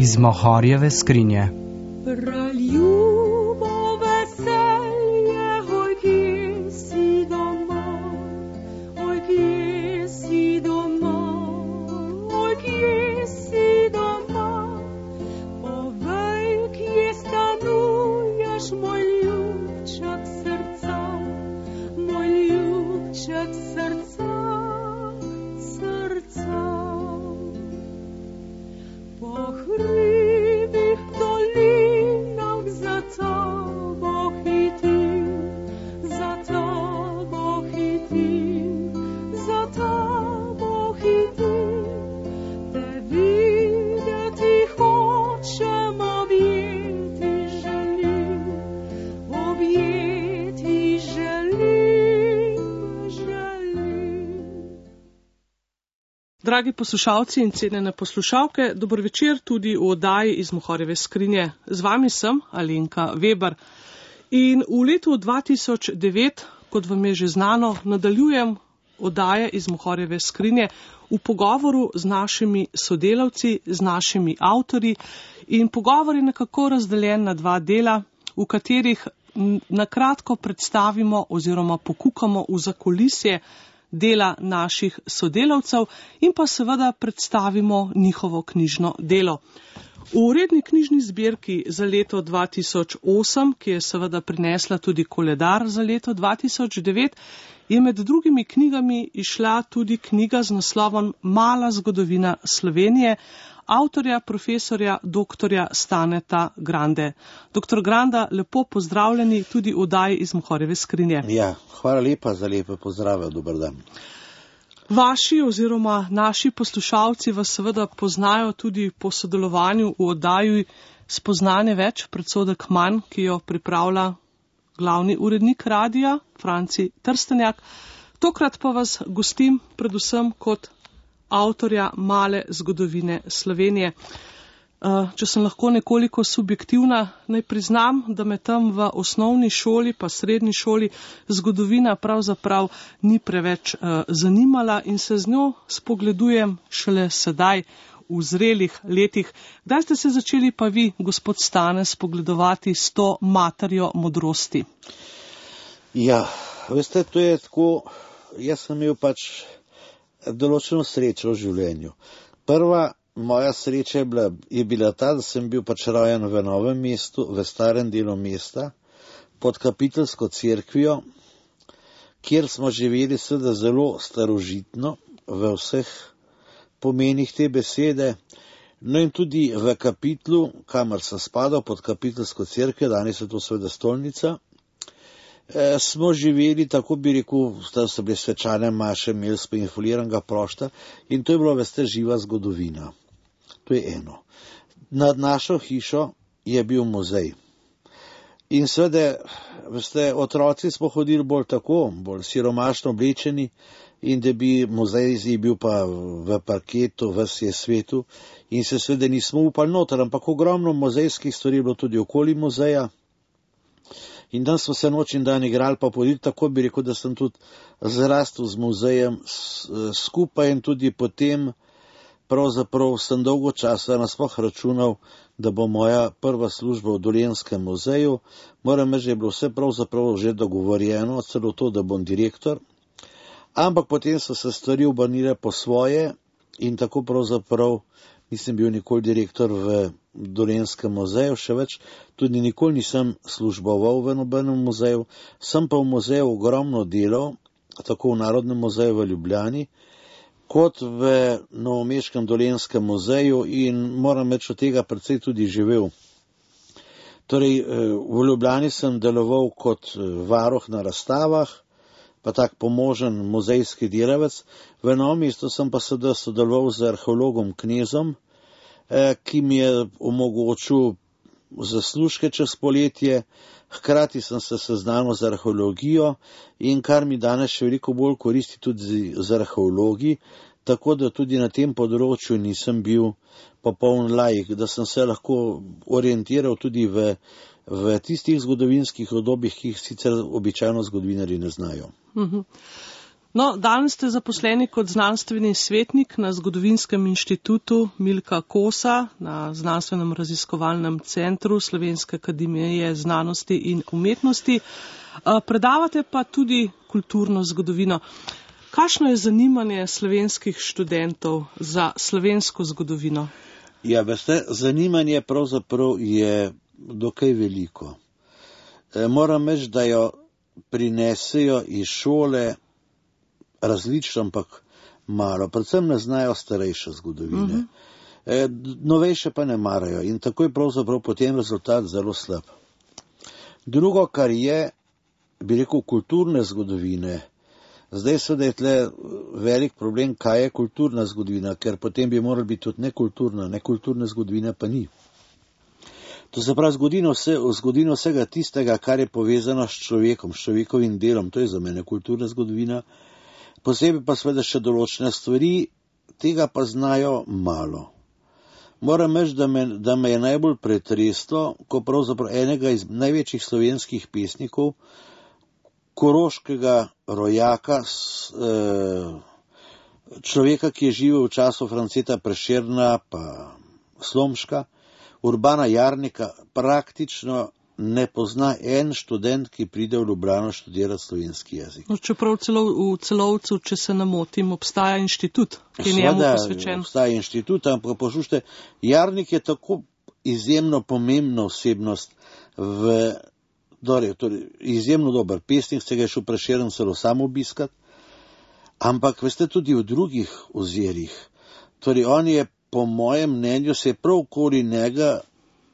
iz Mohorjeve skrinje. Dragi poslušalci in cenjene poslušalke, dober večer tudi v oddaji iz Mohorjeve skrinje. Z vami sem Alenka Weber. In v letu 2009, kot vam je že znano, nadaljujem oddaje iz Mohorjeve skrinje v pogovoru z našimi sodelavci, z našimi avtorji. In pogovor je nekako razdeljen na dva dela, v katerih nakratko predstavimo oziroma pokukamo v zakulisje dela naših sodelavcev in pa seveda predstavimo njihovo knjižno delo. V uredni knjižni zbirki za leto 2008, ki je seveda prinesla tudi koledar za leto 2009, je med drugimi knjigami išla tudi knjiga z naslovom Mala zgodovina Slovenije, avtorja profesorja doktorja Staneta Grande. Doktor Granda, lepo pozdravljeni tudi v oddaji iz Mohorjeve skrinje. Ja, hvala lepa za lepe pozdrave, dober dan. Vaši oziroma naši poslušalci vas seveda poznajo tudi po sodelovanju v oddaji Spoznanje več, predsodek manj, ki jo pripravlja glavni urednik radija, Franci Trstenjak. Tokrat pa vas gostim predvsem kot avtorja Male zgodovine Slovenije. Če sem lahko nekoliko subjektivna, naj priznam, da me tam v osnovni šoli pa srednji šoli zgodovina pravzaprav ni preveč zanimala in se z njo spogledujem šele sedaj v zrelih letih. Kdaj ste se začeli pa vi, gospod Stane, spogledovati s to materjo modrosti? Ja, veste, to je tako, jaz sem imel določeno srečo v življenju. Prva moja sreča je bila ta, da sem bil rojen v Novem mestu, v starem delu mesta, pod kapiteljsko cerkvijo, kjer smo živeli seveda zelo starožitno, v vseh pomenih te besede, no in tudi v kapitlu, kamor sem spadal pod kapiteljsko cerkvijo, danes je to seveda stolnica, smo živeli, tako bi rekel, da so bile svečane maše, imeli smo infoliranega prošta in to je bilo, veste, živa zgodovina. To je eno. Nad našo hišo je bil muzej. In seveda, veste, otroci smo hodili bolj siromašno oblečeni in da bi muzej bil pa v parketu, v svetu in se seveda nismo upali noter, ampak ogromno muzejskih stvari je bilo tudi okoli muzeja. In dan smo se noč in dan igrali, pa podili, tako bi rekel, da sem tudi zrastel z muzejem skupaj in tudi potem pravzaprav sem dolgo časa nasploh računal, da bo moja prva služba v Dolenjskem muzeju. Moram reči, da je bilo vse pravzaprav že dogovorjeno, celo to, da bom direktor. Ampak potem so se stvari obrnile po svoje in tako pravzaprav nisem bil nikoli direktor v Dolenjskem muzeju, še več, tudi nikoli nisem služboval v nobenem muzeju, sem pa v muzeju ogromno delal, tako v Narodnem muzeju v Ljubljani, kot v novomeškem Dolenjskem muzeju in moram reči, od tega precej tudi živel. Torej, v Ljubljani sem deloval kot varuh na razstavah, pa tak pomožen muzejski delavec. V Novem mestu sem pa sodeloval z arheologom Knezom, ki mi je omogočil zaslužke čez poletje, hkrati sem se seznanil z arheologijo in kar mi danes še veliko bolj koristi tudi z arheologi, tako da tudi na tem področju nisem bil popoln laik, da sem se lahko orientiral tudi v tistih zgodovinskih obdobjih, ki jih sicer običajno zgodovinarji ne znajo. No, danes ste zaposleni kot znanstveni svetnik na Zgodovinskem inštitutu Milka Kosa na Znanstvenem raziskovalnem centru Slovenske akademije znanosti in umetnosti. Predavate pa tudi kulturno zgodovino. Kakšno je zanimanje slovenskih študentov za slovensko zgodovino? Ja, veste, zanimanje pravzaprav je dokaj veliko. Moram reči, da jo prinesejo iz šole različno, ampak malo. Predvsem ne znajo starejše zgodovine. Novejše pa ne marajo in tako je pravzaprav potem rezultat zelo slab. Drugo, kar je, bi rekel, kulturne zgodovine. Zdaj seveda je tle velik problem, kaj je kulturna zgodovina, ker potem bi morala biti tudi nekulturna zgodovina pa ni. To se pravi zgodovino vsega tistega, kar je povezano s človekom, s človekovim delom, to je za mene kulturna zgodovina. Posebej pa seveda še določene stvari, tega pa znajo malo. Moram reči, da me je najbolj pretreslo, ko pravzaprav enega iz največjih slovenskih pesnikov, koroškega rojaka, človeka, ki je živel v času Franceta Prešerna pa Slomška, Urbana Jarnika, praktično ne pozna en študent, ki pride v Ljubljano študirati slovenski jezik. No, čeprav v Celovcu, če se ne motim, obstaja inštitut, ki je njemu posvečen. Obstaja inštitut, ampak poslušajte, Jarnik je tako izjemno pomembna osebnost torej, izjemno dober pesnik, se ga je šel Prešeren celo sam obiskat, ampak veste tudi v drugih ozirih. Torej, on je, po mojem mnenju, se je prav okoli njega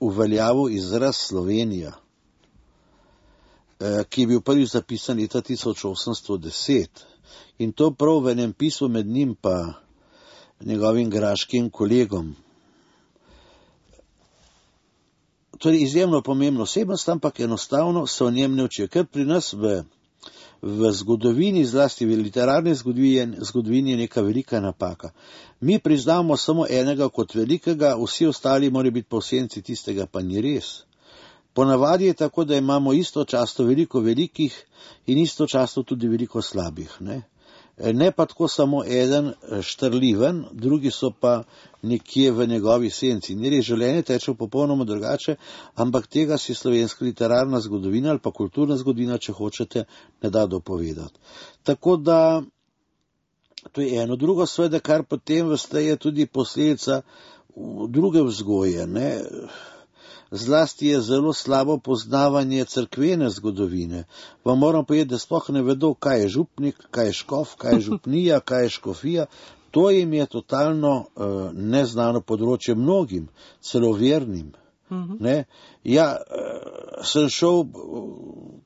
uveljavil izraz Slovenija, ki je bil prvi zapisan leta 1810. In to prav v enem pismu med njim pa njegovim graškim kolegom. Torej, izjemno pomembno osebnost, ampak enostavno se o njem ne učijo. Ker pri nas v zgodovini, zlasti v literarni zgodovini je neka velika napaka. Mi priznamo samo enega kot velikega, vsi ostali morajo biti po senci tistega, pa ni res. Ponavadi je tako, da imamo istočasno veliko velikih in istočasno tudi veliko slabih. Ne pa tako samo eden štrliven, drugi so pa nekje v njegovi senci. Ni res, življenje teče popolnoma drugače, ampak tega si slovenska literarna zgodovina ali pa kulturna zgodovina, če hočete, ne da dopovedati. Tako da, to je eno. Drugo seveda, kar potem veste, je tudi posledica druge vzgoje. Zlasti je zelo slabo poznavanje cerkvene zgodovine. Vam moram povedati, da sploh ne vedo, kaj je župnik, kaj je škof, kaj je župnija, kaj je škofija. To jim je totalno neznano področje mnogim, celo vernim. Ja, sem šel,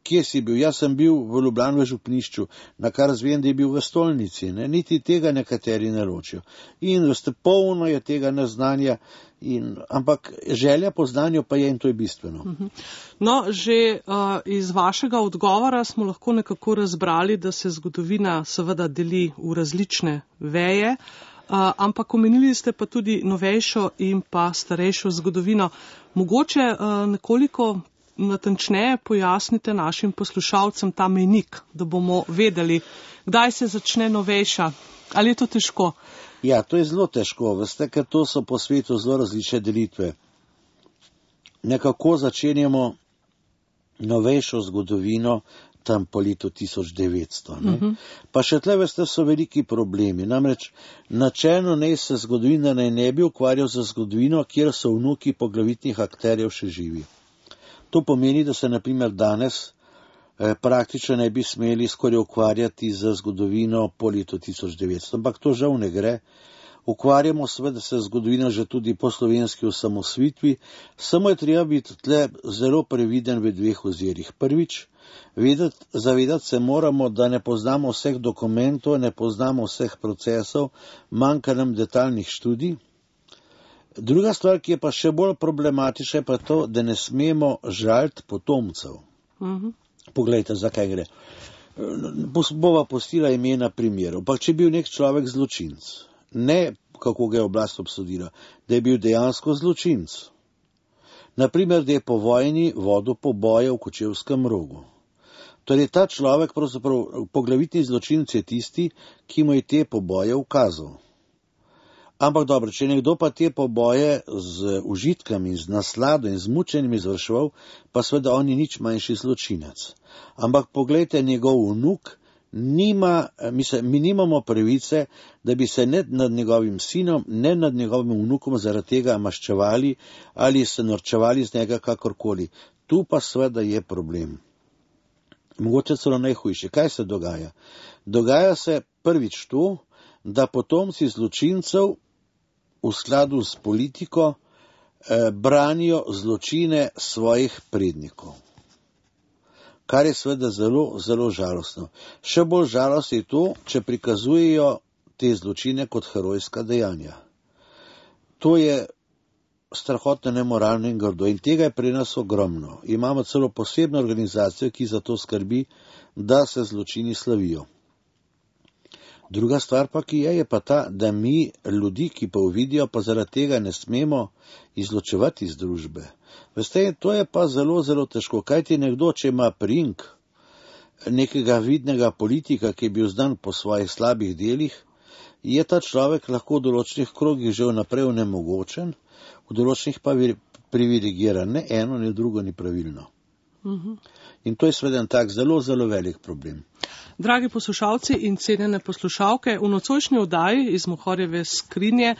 kje si bil? Jaz sem bil v Ljubljani v župnišču, na kar zvem, da je bil v stolnici. Niti tega nekateri ne ločijo. In veste, polno je tega neznanja, ampak želja po znanju pa je, in to je bistveno. No, že iz vašega odgovora smo lahko nekako razbrali, da se zgodovina seveda deli v različne veje, ampak omenili ste pa tudi novejšo in pa starejšo zgodovino. Mogoče nekoliko natančneje pojasnite našim poslušalcem ta mejnik, da bomo vedeli, kdaj se začne novejša. Ali je to težko? Ja, to je zelo težko, veste, ker to so po svetu zelo različne delitve. Nekako začenjamo novejšo zgodovino tam po letu 1900. Pa še tle, veste, so veliki problemi. Namreč načelno naj se zgodovina ne bi ukvarjal za zgodovino, kjer so vnuki poglavitnih akterjev še živi. To pomeni, da se na primer danes praktično ne bi smeli skoraj ukvarjati za zgodovino po letu 1900, ampak to žal ne gre. Ukvarjamo seveda se zgodovino že tudi po slovenski osamosvojitvi, samo je treba biti tle zelo previden v dveh ozirih. Prvič, zavedati se moramo, da ne poznamo vseh dokumentov, ne poznamo vseh procesov, manjka nam detaljnih študij. Druga stvar, ki je pa še bolj problematična, je pa to, da ne smemo žaliti potomcev. Poglejte, zakaj gre. Bova postila imena primerov. Pa če je bil nek človek zločinec, ne kako ga je oblast obsodila, da je bil dejansko zločinec. Naprimer, da je po vojni vodil poboje v Kočevskem Rogu. Torej, ta človek, pravzaprav poglavitni zločinec je tisti, ki mu je te poboje ukazal. Ampak dobro, če nekdo pa te poboje z užitkami, z naslado in z mučenjem izvrševal, pa seveda on ni nič manjši zločinec. Ampak poglejte, njegov vnuk mi nimamo pravice, da bi se ne nad njegovim sinom, ne nad njegovim vnukom zaradi tega maščevali ali se norčevali z njega kakorkoli. Tu pa seveda je problem. Mogoče celo najhujše. Kaj se dogaja? Dogaja se prvič to, da potomci zločincev v skladu s politiko branijo zločine svojih prednikov. Kar je seveda zelo, zelo žalostno. Še bolj žalostno je to, če prikazujejo te zločine kot herojska dejanja. To je strahotno, nemoralno in grdo in tega je pri nas ogromno. Imamo celo posebno organizacijo, ki za to skrbi, da se zločini slavijo. Druga stvar pa, ki je pa ta, da mi ljudi, ki pa uvidijo, pa zaradi tega ne smemo izločevati iz družbe. Veste, to je pa zelo, zelo težko. Kajti nekdo, če ima prink nekega vidnega politika, ki je bil znan po svojih slabih delih, je ta človek lahko v določenih krogih že vnaprej onemogočen, v določenih pa privilegiran. Ne eno, ne drugo ni pravilno. In to je seveda en tak zelo, zelo velik problem. Dragi poslušalci in cenjene poslušalke, v nocojšnji oddaji iz Mohorjeve skrinje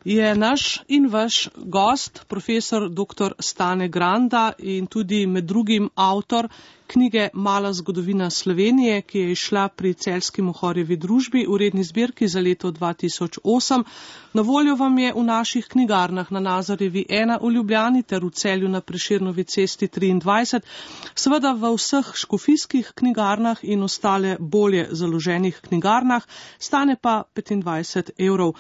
je naš in vaš gost, profesor dr. Stane Granda in tudi med drugim avtor knjige Mala zgodovina Slovenije, ki je izšla pri Celjski Mohorjevi družbi v redni zbirki za leto 2008. Na voljo vam je v naših knjigarnah na Nazarjevi 1 v Ljubljani ter v Celju na Prešernovi cesti 23, seveda v vseh škofijskih knjigarnah in ostale bolje založenih knjigarnah, stane pa 25 €.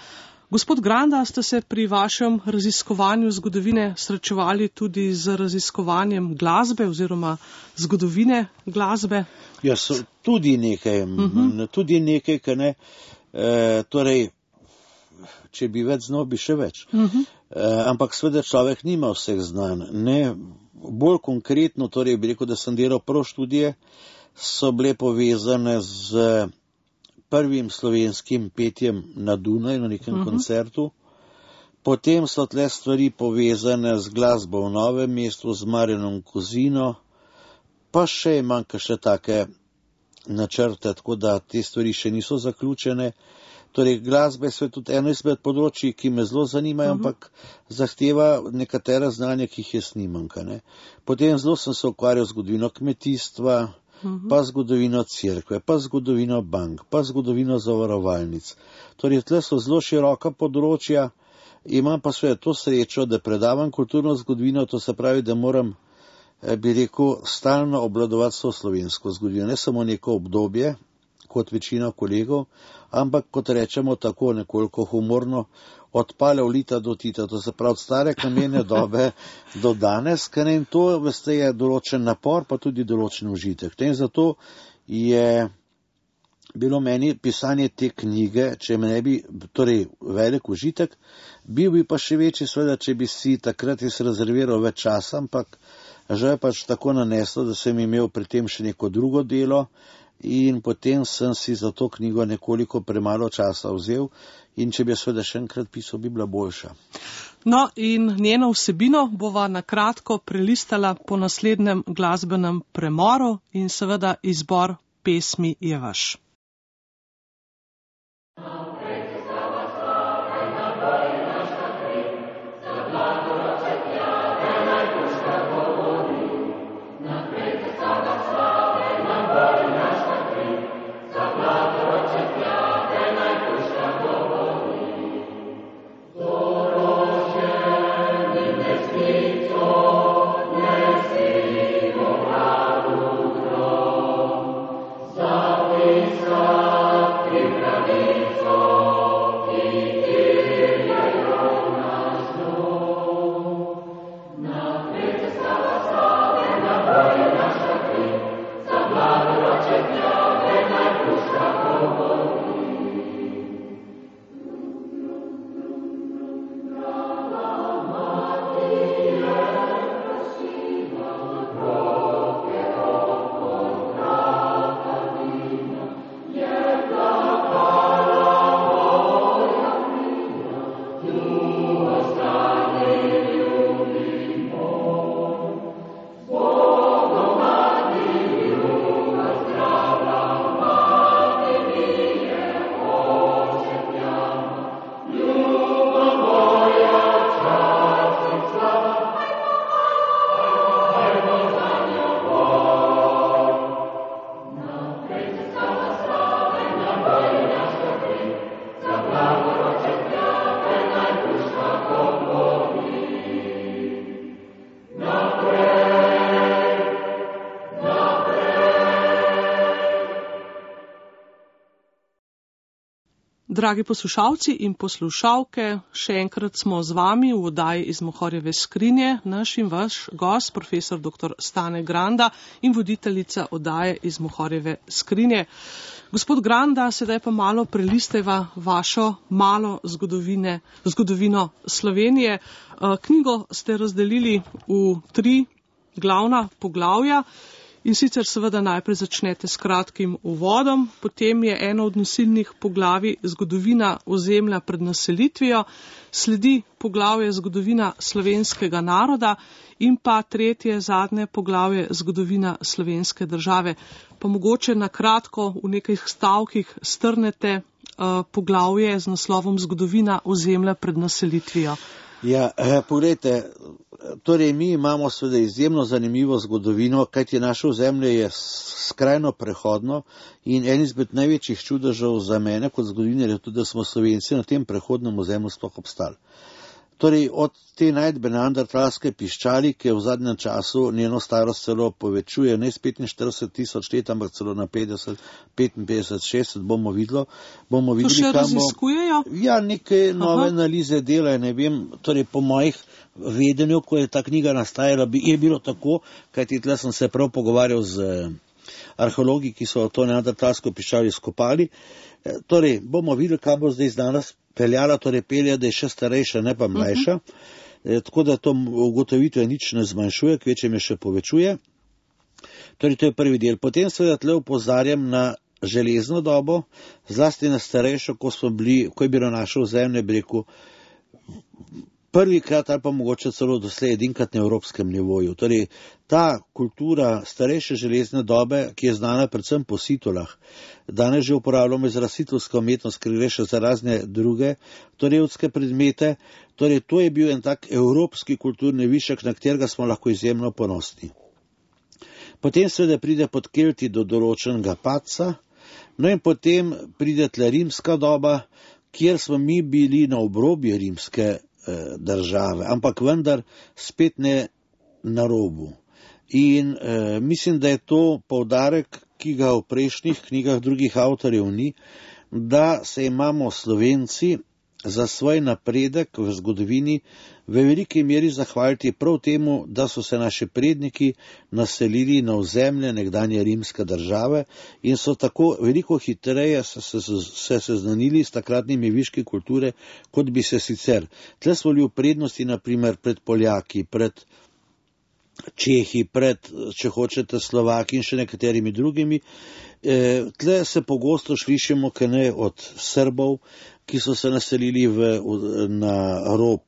Gospod Granda, ste se pri vašem raziskovanju zgodovine srečevali tudi z raziskovanjem glasbe oziroma zgodovine glasbe? Ja, tudi nekaj, kaj ne. Torej, če bi več znal, bi še več. Ampak seveda človek nima vseh znanj. Ne, bolj konkretno, torej bi rekel, da sem delal prav študije, so bile povezane z prvim slovenskim petjem na Dunaju, na nekem koncertu. Potem so tle stvari povezane z glasbo v Novem mestu, z Marjanom Kozino, pa še imam še take načrte, tako da te stvari še niso zaključene. Torej, glasba je tudi eno izmed področji, ki me zelo zanimajo, ampak zahteva nekatera znanja, ki jih jaz nimam. Potem zelo sem se ukvarjal z zgodovino kmetijstva, pa zgodovino cerkve, pa zgodovino bank, pa zgodovino zavarovalnic. Torej, tle so zelo široka področja, imam pa svoje to srečo, da predavam kulturno zgodovino, to se pravi, da moram, bi rekel, stalno obvladovati so slovensko zgodovino, ne samo neko obdobje, kot večina kolegov, ampak kot rečemo tako nekoliko humorno, od paleolita do Tita, to se pravi od stare kamene dobe do danes, in to, veste, je določen napor, pa tudi določen užitek. In zato je bilo meni pisanje te knjige, če me ne bi, torej velik užitek, bil bi pa še večji, seveda, če bi si takrat rezerviral več časa, ampak žal je pač tako naneslo, da sem imel pri tem še neko drugo delo, in potem sem si za to knjigo nekoliko premalo časa vzel in če bi seveda še enkrat pisal, bi bila boljša. No in njeno vsebino bova na kratko prelistala po naslednjem glasbenem premoru in seveda izbor pesmi je vaš. Amen. Dragi poslušalci in poslušalke, še enkrat smo z vami v oddaji iz Mohorjeve skrinje, naš in vaš gost, profesor dr. Stane Granda in voditeljica oddaje iz Mohorjeve skrinje. Gospod Granda, sedaj pa malo prelisteva vašo malo zgodovino Slovenije. Knjigo ste razdelili v 3 glavna poglavja. In sicer seveda najprej začnete s kratkim uvodom, potem je eno od nosilnih poglavij zgodovina ozemlja pred naselitvijo, sledi poglavje zgodovina slovenskega naroda in pa tretje, zadnje poglavje zgodovina slovenske države. Pa mogoče na kratko v nekaj stavkih strnete poglavje z naslovom zgodovina ozemlja pred naselitvijo. Ja, pogledajte, torej mi imamo seveda izjemno zanimivo zgodovino, kajti naše ozemlje je skrajno prehodno in en izmed največjih čudežev za mene kot zgodovinarja je tudi, da smo Slovenci na tem prehodnem ozemlju sploh obstali. Torej od te najdbe neandertalske piščali, ki je v zadnjem času njeno starost celo povečuje, ne s 45 000 let, ampak celo na 50, 55, 60, bomo videli. To še raziskujejo? Ja, neke nove analize delajo, ne vem, torej po mojih vedenju, ko je ta knjiga nastajala, je bilo tako, kajti tle sem se prav pogovarjal z arheologi, ki so to neandertalsko piščali skopali. Torej, bomo videli, kaj bo zdaj znanost peljala, torej pelja, da je še starejša, ne pa mlajša. Tako da to ugotovitve nič ne zmanjšuje, kvečem je še povečuje. Torej, to je prvi del. Potem seveda tle opozarjam na železno dobo, zlasti na starejšo, ko je bilo naše ozemlje, bi rekel, prvikrat ali pa mogoče celo doslej edinkrat na evropskem nivoju. Torej, ta kultura starejše železne dobe, ki je znana predvsem po situlah, danes že uporabljamo izraz situlska umetnost, ker gre še za razne druge torevske predmete, torej to je bil en tak evropski kulturni višek, na katerega smo lahko izjemno ponosni. Potem seveda pride pod Kelti do določenega padca, no in potem pride tle rimska doba, kjer smo mi bili na obrobju rimske države, ampak vendar spet ne na robu. In mislim, da je to poudarek, ki ga v prejšnjih knjigah drugih avtorjev ni, da se imamo Slovenci za svoj napredek v zgodovini v veliki meri zahvaliti prav temu, da so se naši predniki naselili na ozemlje nekdanje rimske države in so tako veliko hitreje se seznanili s takratnimi viški kulture, kot bi se sicer. Tle smo bili v prednosti, naprimer, pred Poljaki, pred Čehi, pred, če hočete, Slovaki in še nekaterimi drugimi. Tle se pogosto slišimo, kaj ne, od Srbov, ki so se naselili na rob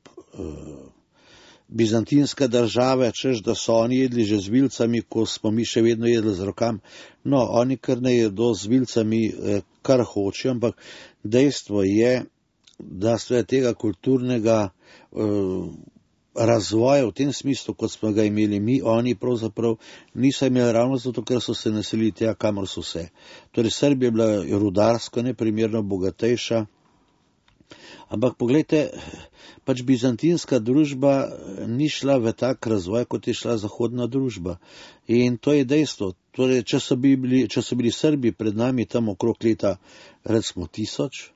bizantinske države, češ da so oni jedli že z vilcami, ko smo mi še vedno jedli z rokami. No, oni kar ne jedo z vilcami, kar hoče, ampak dejstvo je, da sve tega kulturnega razvoja v tem smislu, kot smo ga imeli mi, oni pravzaprav niso imeli ravno zato, ker so se naselili tega, kamor so se. Torej, Srbija je bila rudarsko neprimerno bogatejša, ampak pogledajte, pač bizantinska družba ni šla v tak razvoj, kot je šla zahodna družba. In to je dejstvo. Torej, če so bili Srbi pred nami tam okrog leta, recimo 1000,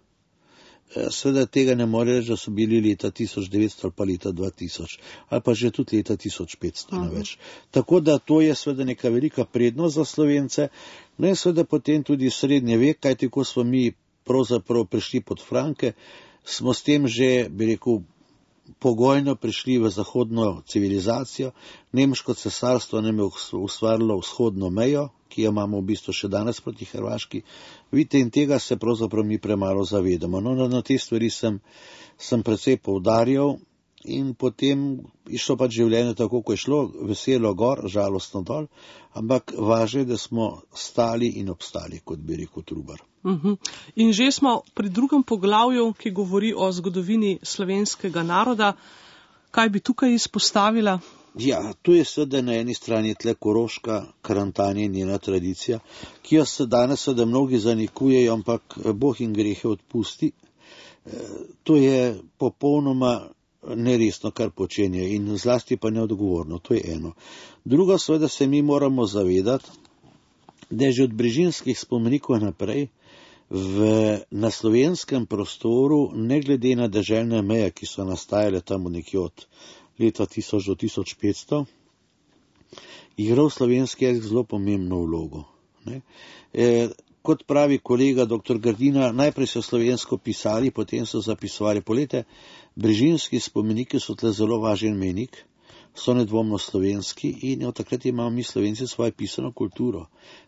seveda tega ne more reči, da so bili leta 1900 ali pa leta 2000, ali pa že tudi leta 1500 na več. Tako da to je seveda neka velika prednost za Slovence, no in seveda potem tudi srednje vek, kajti ko smo mi pravzaprav prišli pod Franke, smo s tem že, bi rekel, pogojno prišli v zahodno civilizacijo. Nemško cesarstvo nam je ustvarilo vzhodno mejo, ki jo imamo v bistvu še danes proti Hrvaški. Vidite, in tega se pravzaprav mi premalo zavedamo. No, na te stvari sem precej poudarjal in potem išlo pač življenje tako, ko je šlo, veselo gor, žalostno dol, ampak važno je, da smo stali in obstali, kot bi rekel Trubar. In že smo pri drugem poglavju, ki govori o zgodovini slovenskega naroda. Kaj bi tukaj izpostavila? Ja, tu je seveda na eni strani tle Koroška, Karantanija in njena tradicija, ki jo se danes seveda mnogi zanikujejo, ampak Bog jim grehe odpusti. To je popolnoma neresno, kar počenje, in zlasti pa neodgovorno, to je eno. Drugo seveda se mi moramo zavedati, da je že od Brižinskih spomenikov naprej na slovenskem prostoru, ne glede na deželne meje, ki so nastajale tam nekje od leta 1000 do 1500, igral slovenski jezik zelo pomembno vlogo. Kot pravi kolega dr. Grdina, najprej so slovensko pisali, potem so zapisovali. Polete, brežinski spomeniki so tle zelo važen menik, so nedvomno slovenski in od takrat imamo mi Slovenci svojo pisano kulturo.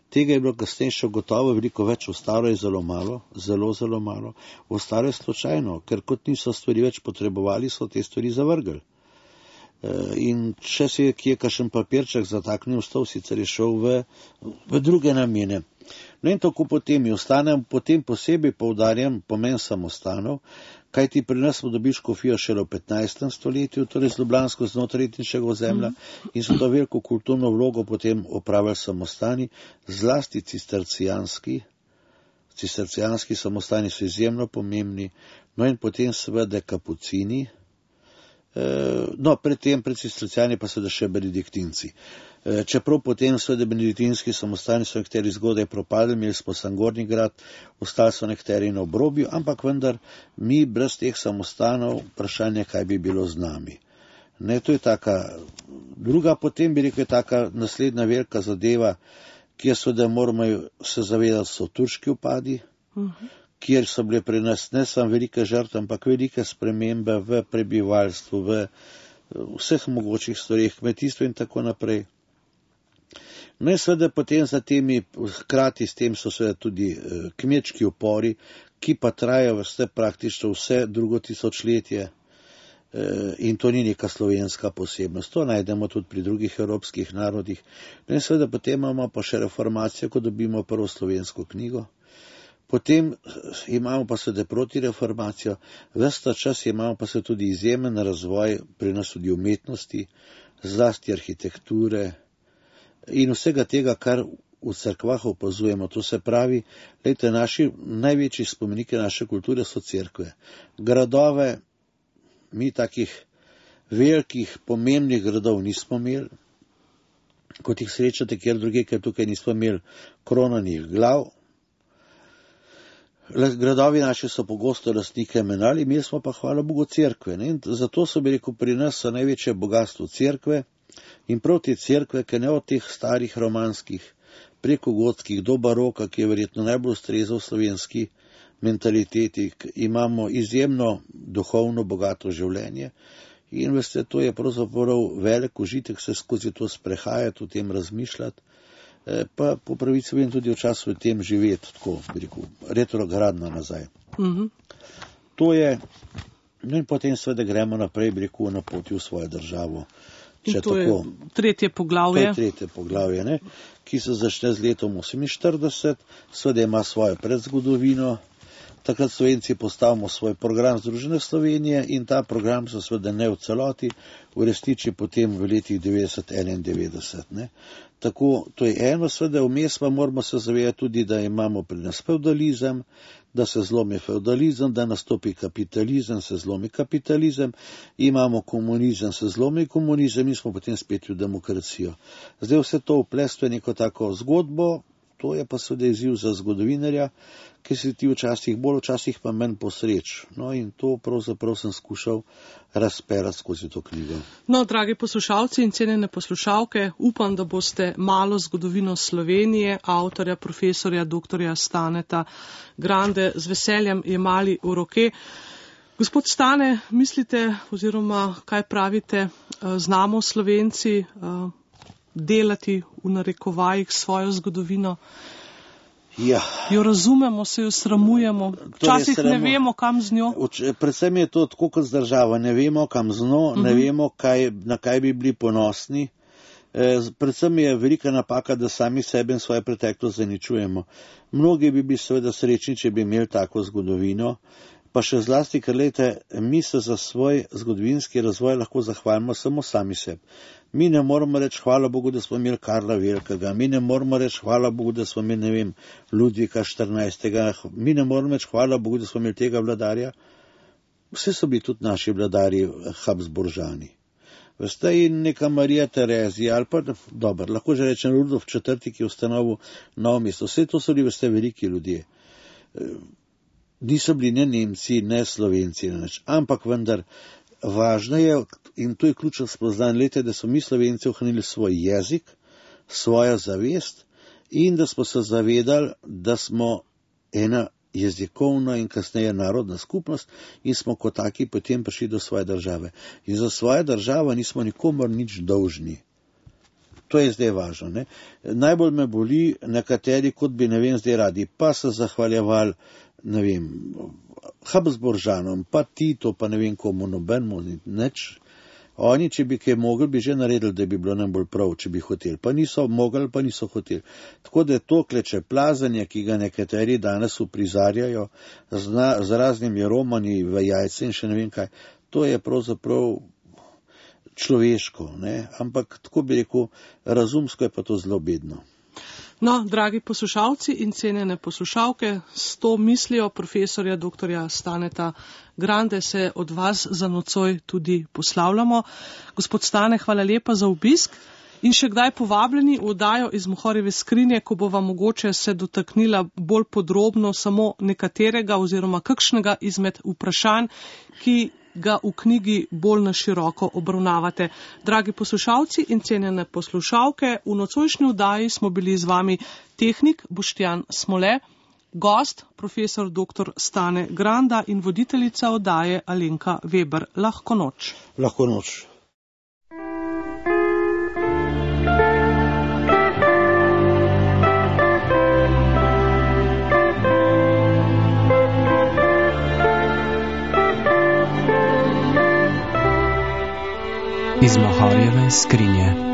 Tega je bilo kasneje še gotovo veliko več, ostalo je zelo malo, zelo malo, ostalo je slučajno, ker kot niso stvari več potrebovali, so te stvari zavrgli. In če se je kje kakšen papirček zataknil v stol, sicer je šel v druge namene. No in tako potem ostanem, potem posebej poudarjam pomen samostanov, kajti pri nas smo dobili škofijo šele v 15. stoletju, torej z ljubljansko znotrajniškega ozemlja, in so to veliko kulturno vlogo potem opravili samostani, zlasti cistercijanski samostani so izjemno pomembni, no in potem seveda kapucini, no pred cistercijani pa seveda še benediktinci. Čeprav potem seveda benediktinski samostani so nekateri zgodaj propadli, imeli smo Sangorni grad, ostali so nekateri na obrobju, ampak vendar mi brez teh samostanov vprašanje, kaj bi bilo z nami. Ne, to je taka druga, potem bi rekel, je taka naslednja velika zadeva, kjer seveda moramo se zavedati, so turški upadi, kjer so bile pri nas ne samo velike žrtve, ampak velike spremembe v prebivalstvu, v vseh mogočih stvareh, kmetijstvu in tako naprej. No in seveda potem za temi, hkrati s tem so seveda tudi kmečki upori, ki pa trajajo praktično vse drugo tisočletje, in to ni neka slovenska posebnost. To najdemo tudi pri drugih evropskih narodih. No in seveda potem imamo pa še reformacijo, ko dobimo prvo slovensko knjigo. Potem imamo pa seveda protireformacijo, ves ta čas imamo pa seveda tudi izjemen razvoj pri nas tudi umetnosti, zlasti arhitekture in vsega tega, kar v cerkvah opazujemo. To se pravi, glejte, naši največji spomeniki naše kulture so cerkve. Gradove, mi takih velikih, pomembnih gradov nismo imeli, kot jih srečate kjer druge, ker tukaj nismo imeli kronanih glav. Gradovi naši so pogosto lastnike menjali, imeli smo pa, hvala Bogu, cerkve. Ne? Zato so bi rekel, pri nas so največje bogatstvo cerkve in prav te cerkve, ker ne od teh starih romanskih, preko gotskih do baroka, ki je verjetno najbolj ustrezal slovenski mentaliteti, imamo izjemno duhovno bogato življenje in veste, to je pravzaprav velik užitek se skozi to sprehajati, o tem razmišljati, pa po pravici vem tudi včasih v tem živeti, tako bi rekel, retrogradno nazaj. To je, no in potem seveda gremo naprej, bi rekel, na poti v svojo državo. In to je tretje poglavje. To je tretje poglavje, ne, ki se začne z letom 48, seveda ima svojo predzgodovino. Takrat Slovenci postavimo svoj program Združene Slovenije in ta program se seveda ne v celoti uresniči potem v letih 90-91. Ne. Tako, to je eno, seveda vmes pa moramo se zavedati tudi, da imamo pri nas feudalizem, da se zlomi feudalizem, da nastopi kapitalizem, se zlomi kapitalizem, imamo komunizem, se zlomi komunizem in smo potem spet v demokracijo. Zdaj vse to vplestvo je neko tako zgodbo, to je pa seveda izziv za zgodovinarja, ki se ti včasih bolj, včasih pa manj posreč. No in to pravzaprav sem skušal razperati skozi to knjigo. No, dragi poslušalci in cenjene poslušalke, upam, da boste malo zgodovino Slovenije, avtorja, profesorja, doktorja Staneta Grande z veseljem jemali v roke. Gospod Stane, mislite oziroma kaj pravite, znamo Slovenci delati v narekovajih svojo zgodovino? Ja. Jo razumemo, se jo sramujemo, včasih ne vemo, kam z njo. Predvsem je to tako kot z državo, ne vemo, kam z njo, ne vemo, na kaj bi bili ponosni. Predvsem je velika napaka, da sami sebe in svoje preteklost zaničujemo. Mnogi bi bili seveda srečni, če bi imeli tako zgodovino, pa še zlasti, ker lejte, mi se za svoj zgodovinski razvoj lahko zahvalimo samo sami sebi. Mi ne moramo reči hvala Bogu, da smo imeli Karla Velikega, mi ne moramo reči hvala Bogu, da smo imeli, ne vem, Ludvika 14. Mi ne moramo reči hvala Bogu, da smo imeli tega vladarja. Vse so bili tudi naši vladarji Habsburžani. Veste, in neka Marija Terezija, ali pa, dobro, lahko že rečem Rudolf IV., ki je ustanovil Novo mesto. Vse to so bili, veste, veliki ljudje. niso bili ne Nemci, ne Slovenci, ne nič. Ampak vendar važno je, in to je ključno spoznanje, da so mi Slovenci ohranili svoj jezik, svojo zavest in da smo se zavedali, da smo ena jezikovna in kasneje narodna skupnost in smo kot taki potem prišli do svoje države. In za svojo državo nismo nikomor nič dolžni. To je zdaj važno. Ne? Najbolj me boli nekateri, kot bi, ne vem, zdaj radi, pa se zahvaljevali, ne vem, Habsburžanom, pa Tito, pa ne vem komu, nobenemu, nič. Oni, če bi kaj mogli, bi že naredili, da bi bilo najbolj prav, če bi hoteli. Pa niso mogli, pa niso hoteli. Tako da je to klečeplazanje, ki ga nekateri danes uprizarjajo z raznimi romani v jajce in še ne vem kaj, to je pravzaprav človeško, ne? Ampak tako bi rekel, razumsko je pa to zelo bedno. No, dragi poslušalci in cenjene poslušalke, s to mislijo profesorja dr. Staneta Grande se od vas za nocoj tudi poslavljamo. Gospod Stane, hvala lepa za obisk in še kdaj povabljeni v oddajo iz Mohorjeve skrinje, ko bova mogoče se dotaknila bolj podrobno samo nekaterega oziroma kakšnega izmed vprašanj, ki ga v knjigi bolj na široko obravnavate. Dragi poslušalci in cenjene poslušalke, v nocojšnji oddaji smo bili z vami tehnik Boštjan Smole, gost profesor dr. Stane Granda in voditeljica oddaje Alenka Veber. Lahko noč. Lahko noč. Iz Mohorjeve skrinje.